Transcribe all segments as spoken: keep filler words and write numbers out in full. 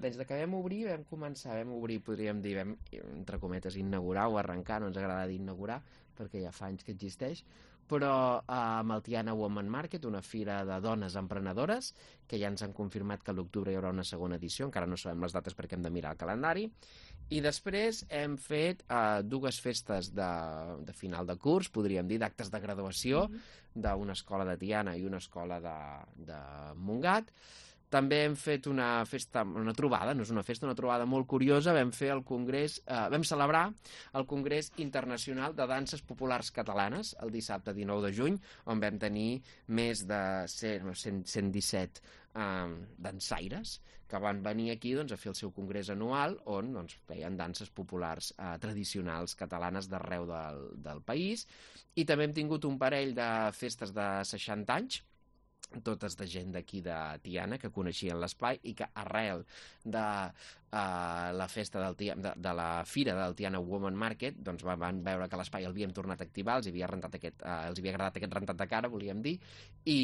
Des de que vam obrir, vam començar, vam obrir, podríem dir, vam, entre cometes, inaugurar o arrencar, no ens agrada dir inaugurar, perquè ja fa anys que existeix, però eh, amb el Tiana Woman Market, una fira de dones emprenedores, que ja ens han confirmat que a l'octubre hi haurà una segona edició, encara no sabem les dates perquè hem de mirar el calendari, i després hem fet eh, dues festes de, de final de curs, podríem dir, d'actes de graduació, mm-hmm. d'una escola de Tiana i una escola de, de Montgat. També hem fet una festa, una trobada, no és una festa, una trobada molt curiosa, vam fer el congrés, eh, vam celebrar el Congrés Internacional de Danses Populars Catalanes el dissabte dinou de juny, on vam tenir més de cent, cent disset eh, dansaires que van venir aquí doncs, a fer el seu congrés anual on doncs, feien danses populars eh, tradicionals catalanes d'arreu del, del país, i també hem tingut un parell de festes de seixanta anys, totes de gent d'aquí de Tiana que coneixien l'espai i que arrel de uh, la festa del Tia, de, de la fira del Tiana Woman Market doncs van, van veure que l'espai l'havíem tornat a activar, els havia, rentat aquest, uh, els havia agradat aquest rentat de cara, volíem dir, i,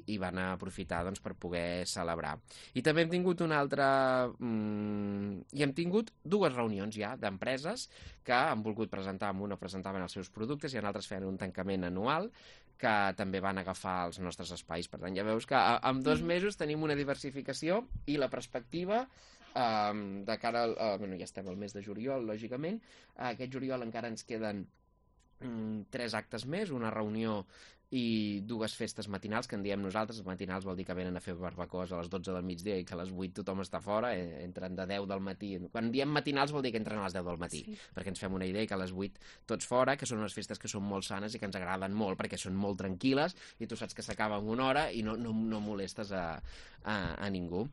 i van aprofitar doncs, per poder celebrar. I també hem tingut una altra... Mm, i hem tingut dues reunions ja d'empreses que han volgut presentar, amb una presentaven els seus productes i en altres feien un tancament anual que també van agafar els nostres espais. Per tant, ja veus que en dos mesos tenim una diversificació i la perspectiva um, de cara al... Uh, bueno, ja estem al mes de juliol, lògicament. Uh, aquest juliol encara ens queden um, tres actes més, una reunió i dues festes matinals, que en diem nosaltres. Matinals vol dir que venen a fer barbacoes a les dotze del migdia i que a les vuit tothom està fora, eh, entren de deu del matí. Quan diem matinals vol dir que entren a les deu del matí, sí. Perquè ens fem una idea que a les vuit tots fora, que són unes festes que són molt sanes i que ens agraden molt, perquè són molt tranquil·les i tu saps que s'acaba en una hora i no, no, no molestes a, a, a ningú.